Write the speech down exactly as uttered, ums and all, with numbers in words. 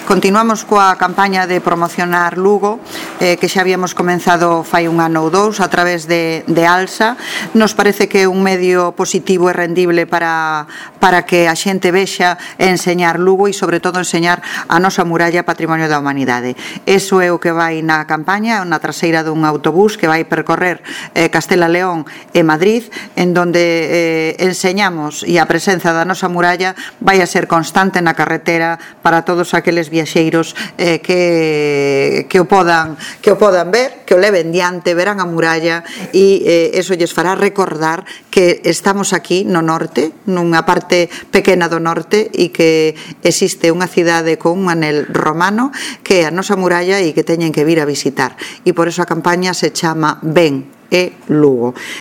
Continuamos coa campaña de promocionar Lugo, eh, que xa habíamos comenzado fai un ano ou dous a través de, de ALSA. Nos parece que é un medio positivo e rendible para, para que a xente vexa e enseñar Lugo e, sobre todo, enseñar a nosa muralla Patrimonio da Humanidade. Eso é o que vai na campaña, na traseira dun autobús que vai percorrer eh, Castela León e Madrid, en donde eh, enseñamos e a presenza da nosa muralla vai a ser constante na carretera para todos aqueles viaxeiros eh, que, que, o podan, que o podan ver, que o leven diante, verán a muralla e eh, eso lles fará recordar que estamos aquí no norte, nunha parte pequena do norte, e que existe unha cidade con un anel romano que é a nosa muralla e que teñen que vir a visitar. E por eso a campaña se chama Ben e Lugo.